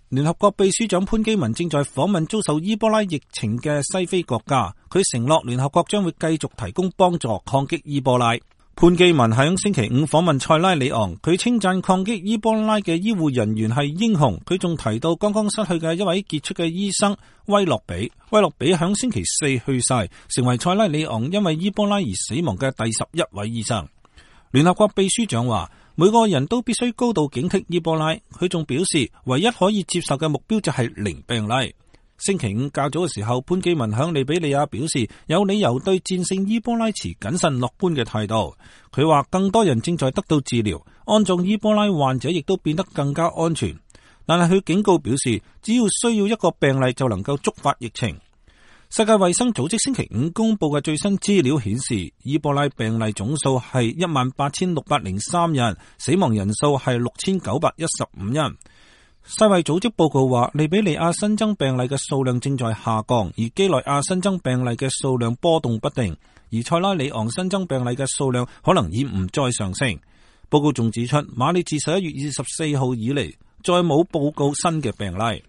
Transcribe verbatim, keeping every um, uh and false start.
聯合國秘書長潘基文正在訪問遭受伊波拉疫情嘅西非國家，佢承諾聯合國將會繼續提供幫助抗擊伊波拉。潘基文喺星期五訪問塞拉利昂，佢稱讚抗擊伊波拉嘅醫護人員係英雄。佢仲提到剛剛失去嘅一位傑出嘅醫生威洛比。威洛比喺星期四去世，成為塞拉利昂因為伊波拉而死亡嘅第十一位醫生。聯合國秘書長話，每個人都必須高度警惕伊波拉。佢仲表示，唯一可以接受嘅目標就係零病例。星期五較早嘅時候，潘基文向利比里亞表示，有理由對戰勝伊波拉持謹慎樂觀嘅態度。佢話更多人正在得到治療，安葬伊波拉患者亦都變得更加安全。但係佢警告表示，只要需要一個病例就能夠觸發疫情。世界衛生組織星期五公布嘅最新資料顯示，伊波拉病例總數係一萬八千六百零三人，死亡人數係六千九百一十五人。世衛組織報告話，利比里亞新增病例嘅數量正在下降，而基內亞新增病例嘅數量波動不定，而塞拉利昂新增病例嘅數量可能已唔再上升。報告仲指出，馬里自十一月二十四號以嚟再冇報告新嘅病例。